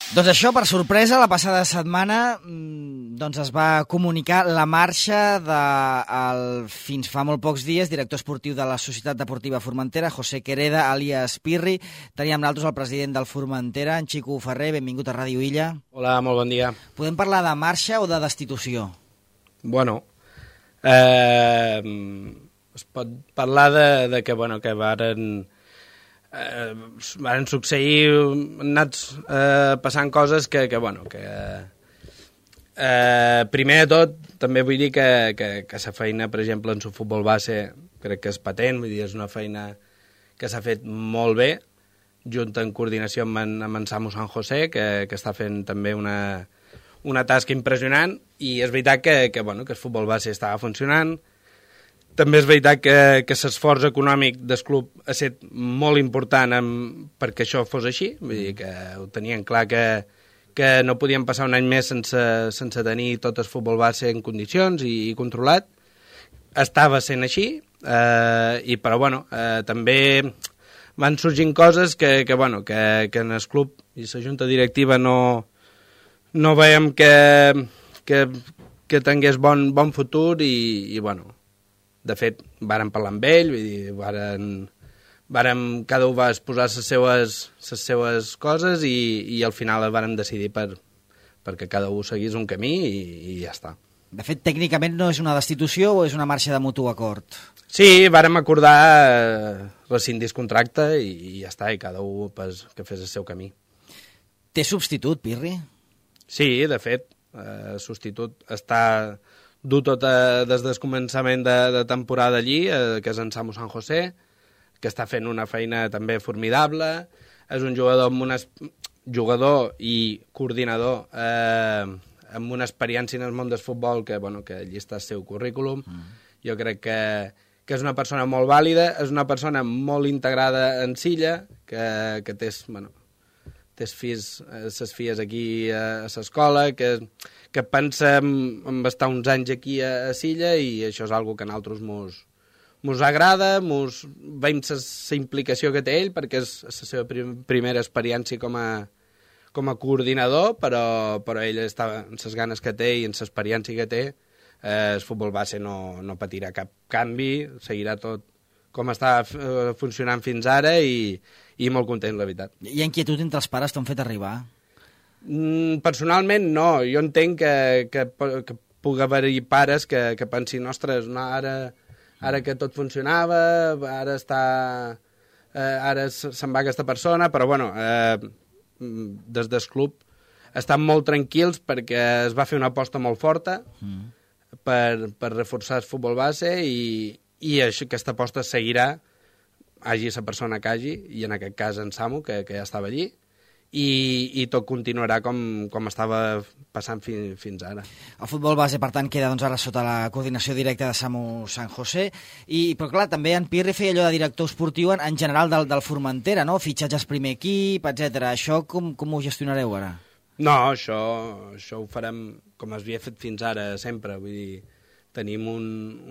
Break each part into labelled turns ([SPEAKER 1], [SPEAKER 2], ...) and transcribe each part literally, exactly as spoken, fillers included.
[SPEAKER 1] Doncs això, per sorpresa, la passada setmana doncs es va comunicar la marxa del, fins fa molt pocs dies, director esportiu de la Societat Deportiva Formentera, José Quereda, àlies Pirri. Teníem nosaltres el president del Formentera, en Xico Ferrer. Benvingut a Ràdio Illa.
[SPEAKER 2] Hola, molt bon dia.
[SPEAKER 1] Podem parlar de marxa o de destitució?
[SPEAKER 2] Bueno, eh, es pot parlar de, de que, bueno, que varen... Eh, van succeir, han anat eh, passant coses que, que bueno, que eh, primer de tot, també vull dir que, que, que la feina, per exemple, en el futbol base, crec que és patent, vull dir, és una feina que s'ha fet molt bé, junt en coordinació amb en, amb en Samu San José, que, que està fent també una, una tasca impressionant, i és veritat que, que, bueno, que el futbol base estava funcionant. També és veritat que, que l'esforç econòmic del club ha estat molt important amb, perquè això fos així, vull dir que ho tenien clar que, que no podíem passar un any més sense, sense tenir tot el futbol base en condicions i, i controlat. Estava sent així, eh, i però bueno, eh, també van sorgint coses que, que, bueno, que, que en el club i la junta directiva no, no veiem que, que, que tingués bon, bon futur i, i bueno, de fet, vàrem parlar amb ell, vull dir, vàrem, vàrem, cada un va exposar les seues, les seues coses i, i al final vàrem decidir per, perquè cada un seguís un camí i, i ja està.
[SPEAKER 1] De fet, tècnicament no és una destitució o és una marxa de mutu acord?
[SPEAKER 2] Sí, vàrem acordar eh, rescindir el contracte i, i ja està, i cada un pues, que fes el seu camí.
[SPEAKER 1] Té substitut, Pirri?
[SPEAKER 2] Sí, de fet, el eh, substitut està... du tot a, des del començament de, de temporada allí, eh, que és en Samu San José, que està fent una feina també formidable, és un jugador amb una, jugador i coordinador eh, amb una experiència en el món del futbol que, bueno, que allí està el seu currículum. Mm. Jo crec que, que és una persona molt vàlida, és una persona molt integrada en Silla, que, que té, bueno, té fills, ses filles aquí a, a l'escola, que, que pensa en, en estar uns anys aquí a, a Silla i això és algo que a nosaltres mos, mos agrada, mos veiem la implicació que té ell perquè és la seva prim, primera experiència com a, com a coordinador, però, però ell està en les ganes que té i en l'experiència que té, eh, el futbol base no, no patirà cap canvi, seguirà tot com està eh, funcionant fins ara i, i molt content, la veritat.
[SPEAKER 1] Hi ha inquietud entre els pares, t'ho han fet arribar?
[SPEAKER 2] Mm, personalment no, jo entenc que, que, que pugui haver-hi pares que, que pensin, ostres, no, ara, ara que tot funcionava, ara està, eh, ara se'n va aquesta persona, però bueno, eh, des del club estan molt tranquils perquè es va fer una aposta molt forta mm. per, per reforçar el futbol base i, i això, aquesta aposta seguirà, hagi la persona que hagi, i en aquest cas en Samu, que, que ja estava allí, i, i tot continuarà com, com estava passant fi, fins ara.
[SPEAKER 1] El futbol base, per tant, queda doncs, ara sota la coordinació directa de Samu San José, i, però clar, també en Pirri feia allò de director esportiu en, en general del, del Formentera, no? Fitxatges primer equip, etcètera. Això com, com ho gestionareu ara?
[SPEAKER 2] No, això, això ho farem com es havia fet fins ara, sempre, vull dir, tenim un,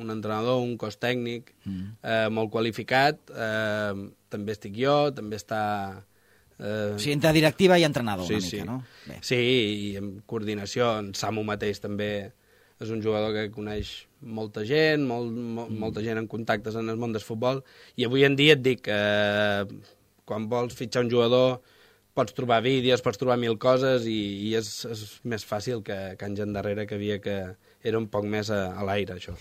[SPEAKER 2] un entrenador, un cos tècnic mm. eh, molt qualificat, eh, també estic jo, també està...
[SPEAKER 1] Eh... O sigui, entre directiva i entrenador,
[SPEAKER 2] sí,
[SPEAKER 1] una mica,
[SPEAKER 2] sí.
[SPEAKER 1] no? Bé.
[SPEAKER 2] Sí, i en coordinació, en Samu mateix també és un jugador que coneix molta gent, molt, molt, mm. molta gent en contactes en el món del futbol, i avui en dia et dic que eh, quan vols fitxar un jugador pots trobar vídeos, pots trobar mil coses i, i és, és més fàcil que, que anys endarrere que havia que era un poc més a, a l'aire, això.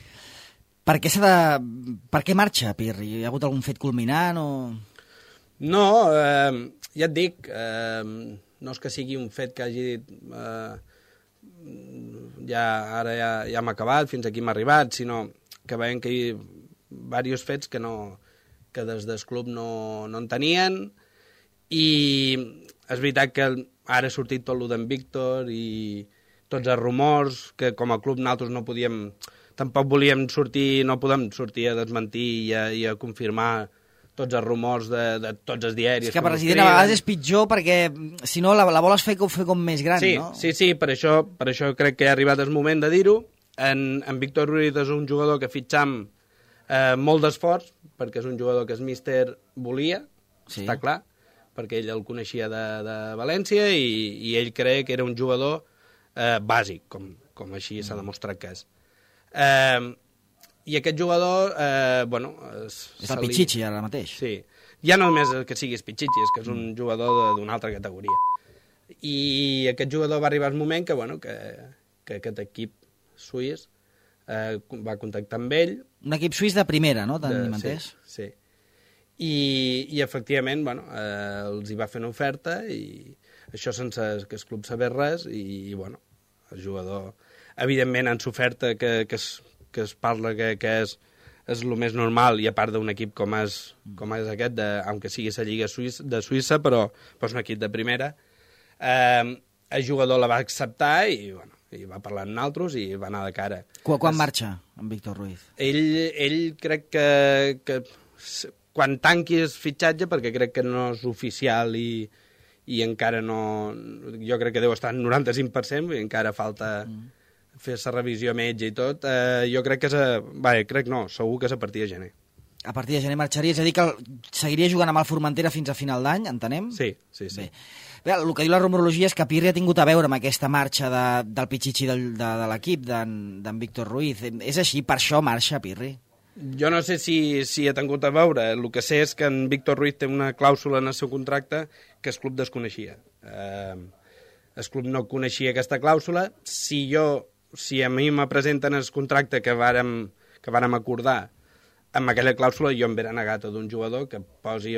[SPEAKER 1] Per què s'ha de... Per què marxa, Pirri? Hi ha hagut algun fet culminant o...?
[SPEAKER 2] No, eh, ja et dic, eh, no és que sigui un fet que hagi dit eh, ja, ara ja, ja hem acabat, fins aquí hem arribat, sinó que veiem que hi ha diversos fets que, no, que des del club no, no en tenien, i és veritat que ara ha sortit tot el d'en Víctor i tots els rumors que com a club nosaltres no podíem, tampoc volíem sortir, no podem sortir a desmentir i a, i a confirmar tots els rumors de, de tots els diaris.
[SPEAKER 1] És que, president, a vegades és pitjor perquè, si no, la, la vols fer com, fer com més gran,
[SPEAKER 2] sí,
[SPEAKER 1] no?
[SPEAKER 2] Sí, sí, per això, per això crec que ha arribat el moment de dir-ho. En, en Víctor Ruiz és un jugador que fitxam eh, molt d'esforç, perquè és un jugador que el míster volia, sí. Està clar, perquè ell el coneixia de, de València i, i ell creia que era un jugador eh, bàsic, com, com així s'ha demostrat que és. Eh, I aquest jugador, eh, bueno...
[SPEAKER 1] És el Pichichi, ara mateix.
[SPEAKER 2] Sí, ja no només que siguis Pichichi, és que és un jugador d'una altra categoria. I aquest jugador va arribar al moment que, bueno, que, que aquest equip suís eh, va contactar amb ell.
[SPEAKER 1] Un equip suís de primera, no? Tenim entès?
[SPEAKER 2] Sí, sí. I, i efectivament, bueno, eh, els hi va fer una oferta i això sense que el club sabés res i, i bueno, el jugador, evidentment, en s'oferta que, que, es, que es parla que, que és, és el més normal, i a part d'un equip com és, com és aquest, de, aunque sigui la Lliga Suïssa, de Suïssa, però, però és un equip de primera, eh, el jugador la va acceptar i, bueno, i va parlar amb nosaltres i va anar de cara.
[SPEAKER 1] Quan, quan marxa en Víctor Ruiz?
[SPEAKER 2] Ell, ell crec que, que quan tanqui el fitxatge, perquè crec que no és oficial i, i encara no... Jo crec que deu estar en noranta-cinc per cent, i encara falta mm. fer la revisió metge i tot. Eh, jo crec que és a... Va, crec no, segur que és a partir de gener.
[SPEAKER 1] A partir de gener marxaria, és a dir que seguiria jugant amb el Formentera fins a final d'any, entenem?
[SPEAKER 2] Sí, sí, sí.
[SPEAKER 1] Bé. Bé, el que diu la rumorologia és que Pirri ha tingut a veure amb aquesta marxa de, del Pichichi del, de, de l'equip, d'en Víctor Ruiz. És així, per això marxa Pirri?
[SPEAKER 2] Jo no sé si, si ha tingut a veure. El que sé és que en Víctor Ruiz té una clàusula en el seu contracte que el club desconeixia. Eh, el club no coneixia aquesta clàusula. Si jo, si a mi me presenten el contracte que vàrem, que vàrem acordar amb aquella clàusula, jo em veré negat a d'un jugador que posi,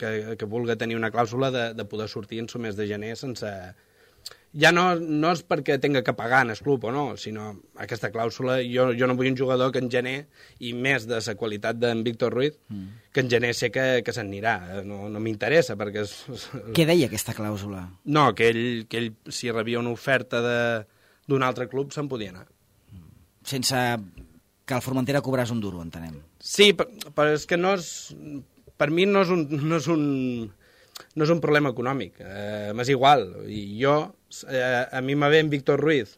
[SPEAKER 2] que, que vulgui tenir una clàusula de, de poder sortir en el mes de gener sense... Ja no, no és perquè tinga que pagar en el club o no, sinó aquesta clàusula, jo, jo no vull un jugador que en gener, i més de la qualitat d'en Víctor Ruiz, mm. que en gener sé que, que se'n anirà. No, no m'interessa, perquè... És, és...
[SPEAKER 1] Què deia aquesta clàusula?
[SPEAKER 2] No, que ell, que ell si rebia una oferta d'un altre club, se'n podia anar.
[SPEAKER 1] Sense que el Formentera cobràs un duro, entenem.
[SPEAKER 2] Sí, però és que no és... Per mi no és un... No és un no és un problema econòmic, eh, m'és igual. I jo, eh, a mi me ve en Víctor Ruiz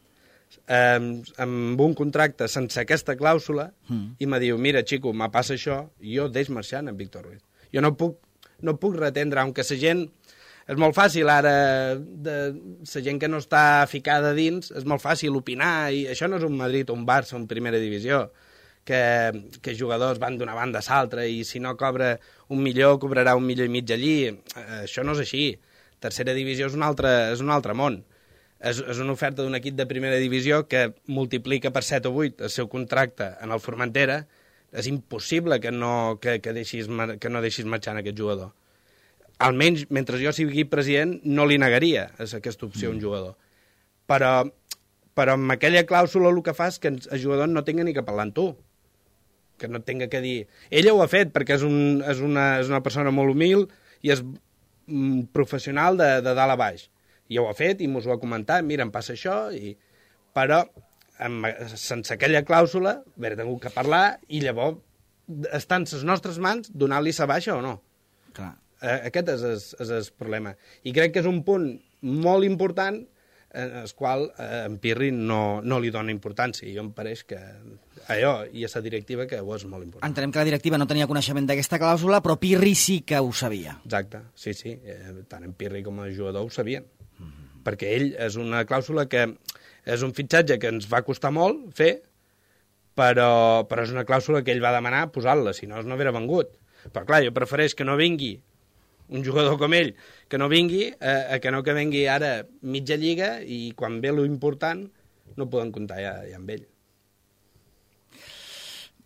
[SPEAKER 2] eh, amb un contracte sense aquesta clàusula mm. i me diu, mira, xico, me passa això, i jo deix marxant en Víctor Ruiz. Jo no puc, no puc retendre, aunque la gent... És molt fàcil ara, de, la gent que no està ficada dins, és molt fàcil opinar, i això no és un Madrid o un Barça en primera divisió, que, que jugadors van d'una banda a l'altra i si no cobra un milió, cobrarà un milió i mig allí. Eh, això no és així. Tercera divisió és un altre, és un altre món. És, és una oferta d'un equip de primera divisió que multiplica per set o vuit el seu contracte en el Formentera. És impossible que no, que, que, deixis, que no deixis marxar aquest jugador. Almenys, mentre jo sigui president, no li negaria aquesta opció a un jugador. Però, però amb aquella clàusula el que fa és que el jugador no tinga ni que parlar amb tu. Que no tinga que dir... Ella ho ha fet perquè és, un, és, una, és una persona molt humil i és un professional de, de dalt a baix. I ho ha fet i mos ho ha comentat, mira, em passa això, i... però amb, sense aquella clàusula haver tingut que parlar i llavors està en les nostres mans donar-li sa baixa o no.
[SPEAKER 1] Clar.
[SPEAKER 2] Eh, aquest és el, és el problema. I crec que és un punt molt important en el qual eh, en Pirri no, no li dona importància. I jo em pareix que allò i a la directiva que ho és molt important.
[SPEAKER 1] Entenem que la directiva no tenia coneixement d'aquesta clàusula, però Pirri sí que ho sabia.
[SPEAKER 2] Exacte, sí, sí. Eh, tant en Pirri com el jugador ho sabien. Mm-hmm. Perquè ell és una clàusula que és un fitxatge que ens va costar molt fer, però, però és una clàusula que ell va demanar posar-la, si no, no hauria vengut. Però clar, jo prefereix que no vingui un jugador com ell, que no vingui, eh, a que no que vingui ara mitja lliga i quan ve lo important no poden comptar ja, ja amb ell.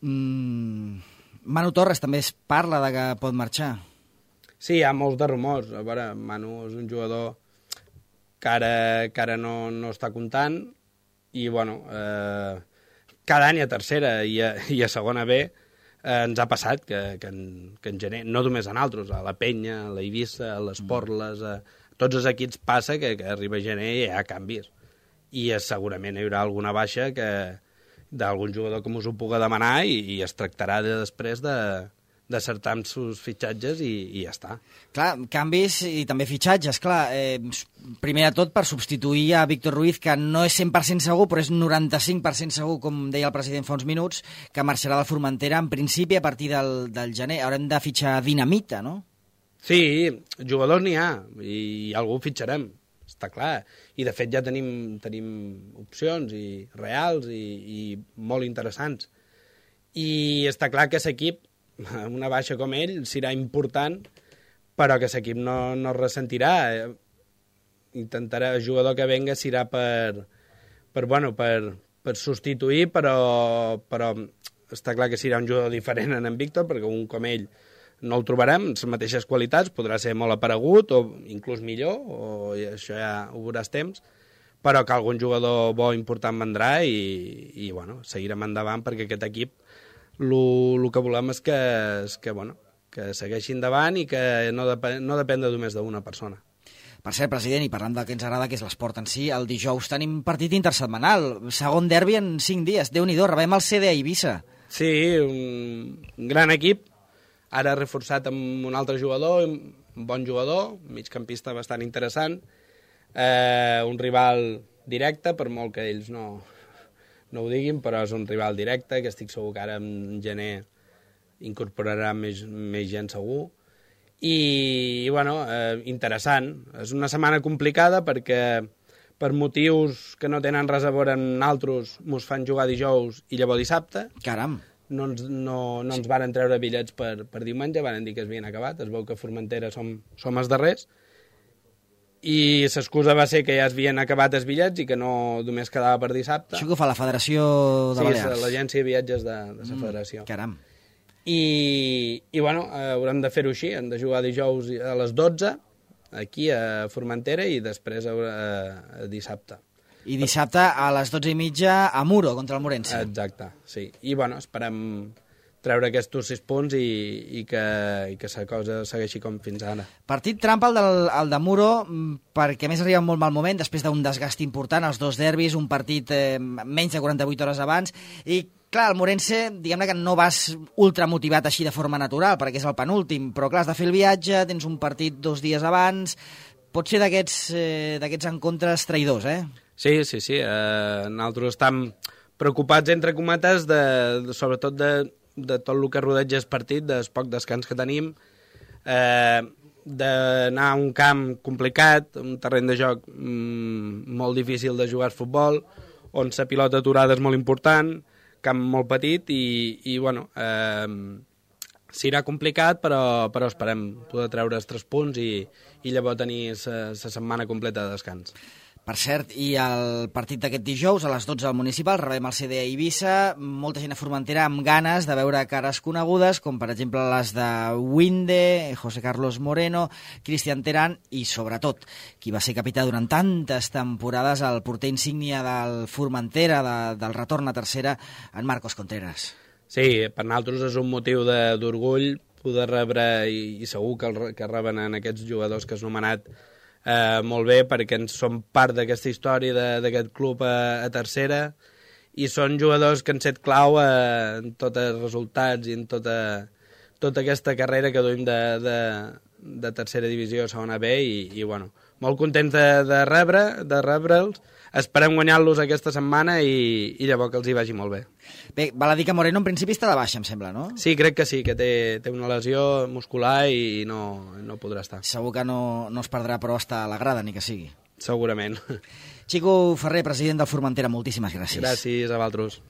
[SPEAKER 1] Mm, Manu Torres també es parla de que pot marxar.
[SPEAKER 2] Sí, hi ha molts de rumors. A veure, Manu és un jugador que ara, que ara no, no està comptant i, bueno, eh, cada any a tercera i a, i a segona B eh, ens ha passat que, que, en, que en gener, no només a nosaltres, a la Penya, a la Eivissa, a les Porles, a tots els equips passa que, que arriba gener i hi ha canvis. I eh, segurament hi haurà alguna baixa que d'algun jugador que us ho pugui demanar i, i es tractarà de, després de d'acertar amb sus fitxatges i, i ja està.
[SPEAKER 1] Clar, canvis i també fitxatges, clar. Eh, primer de tot per substituir a Víctor Ruiz, que no és cent per cent segur, però és noranta-cinc per cent segur, com deia el president fa uns minuts, que marxarà del Formentera en principi a partir del, del gener. Haurem de fitxar Dinamita, no?
[SPEAKER 2] Sí, jugadors n'hi ha, i algú fitxarem, està clar. I, de fet, ja tenim, tenim opcions i reals i, i molt interessants. I està clar que l'equip, una baixa com ell, serà important, però que l'equip no, no es ressentirà. Intentarà, el jugador que venga serà per, per, bueno, per, per substituir, però, però està clar que serà un jugador diferent en en Víctor, perquè un com ell no el trobarem, les mateixes qualitats, podrà ser molt aparegut o inclús millor, o això ja ho veuràs temps, però que algun jugador bo important vendrà i, i bueno, seguirem endavant perquè aquest equip el que volem és que, és que, bueno, que segueixi endavant i que no, depèn, no depèn de només d'una persona.
[SPEAKER 1] Per cert, president, i parlant del que ens agrada, que és l'esport en si, el dijous tenim partit intersetmanal, segon derbi en cinc dies, Déu-n'hi-do, rebem el C D a Eivissa.
[SPEAKER 2] Sí, un, un gran equip, ara reforçat amb un altre jugador, un bon jugador, migcampista bastant interessant, eh, un rival directe, per molt que ells no, no ho diguin, però és un rival directe, que estic segur que ara en gener incorporarà més, més gent segur. I, i bueno, eh, interessant. És una setmana complicada perquè per motius que no tenen res a veure amb nosaltres mos fan jugar dijous i llavors dissabte.
[SPEAKER 1] Caram!
[SPEAKER 2] No ens, no, no ens varen treure bitllets per, per diumenge, varen dir que es havien acabat, es veu que a Formentera som, som els darrers, i l'excusa va ser que ja es havien acabat els bitllets i que no només quedava per dissabte.
[SPEAKER 1] Això que ho fa la Federació de Balears?
[SPEAKER 2] Sí, l'agència de viatges de, de la federació.
[SPEAKER 1] Mm, caram.
[SPEAKER 2] I, i bueno, haurem de fer-ho així, hem de jugar dijous a les dotze, aquí a Formentera, i després a, a, a dissabte.
[SPEAKER 1] I dissabte a les dotze i mitja a Muro, contra el Morense.
[SPEAKER 2] Exacte, sí. I, bueno, esperem treure aquests sis punts i, i que, i que la cosa segueixi com fins ara.
[SPEAKER 1] Partit trampa el, del, el de Muro, perquè a més arriba en molt mal moment, després d'un desgast important, els dos derbis, un partit eh, menys de quaranta-vuit hores abans, i clar, el Morense, diguem-ne que no vas ultramotivat així de forma natural, perquè és el penúltim, però clar, has de fer el viatge, tens un partit dos dies abans, pot ser d'aquests eh, d'aquests encontres traïdors, eh?
[SPEAKER 2] Sí, sí, sí. Eh, nosaltres estem preocupats, entre cometes, de, de, sobretot de, de tot el que rodeja el partit, del poc descans que tenim, eh, d'anar a un camp complicat, un terreny de joc mm, molt difícil de jugar al futbol, on la pilota aturada és molt important, camp molt petit i, i bueno, eh, serà complicat, però, però esperem poder treure els tres punts i, i llavors tenir la setmana completa de descans.
[SPEAKER 1] Per cert, i el partit d'aquest dijous, a les dotze al Municipal, rebem el C D a Eivissa, molta gent a Formentera amb ganes de veure cares conegudes, com per exemple les de Winde, José Carlos Moreno, Cristian Terán i, sobretot, qui va ser capità durant tantes temporades, el porter insígnia del Formentera, de, del retorn a tercera, en Marcos Contreras.
[SPEAKER 2] Sí, per nosaltres és un motiu d'orgull poder rebre, i, i segur que, el, que reben en aquests jugadors que has nomenat, Eh, molt bé, perquè ens som part d'aquesta història d'aquest club a, a tercera, i són jugadors que han set clau eh, en tots els resultats i en tota, tota aquesta carrera que duim de, de, de tercera divisió a segona B, i, i bueno, molt contents de, de rebre de rebre'ls. Esperem guanyar-los aquesta setmana i, i llavors que els hi vagi molt bé.
[SPEAKER 1] Bé, val a dir que Moreno en principi està de baixa, em sembla, no?
[SPEAKER 2] Sí, crec que sí, que té, té una lesió muscular i no, no podrà estar.
[SPEAKER 1] Segur que no, no es perdrà, però està a la grada, ni que sigui.
[SPEAKER 2] Segurament.
[SPEAKER 1] Xico Ferrer, president del Formentera, moltíssimes gràcies.
[SPEAKER 2] Gràcies a vosaltres.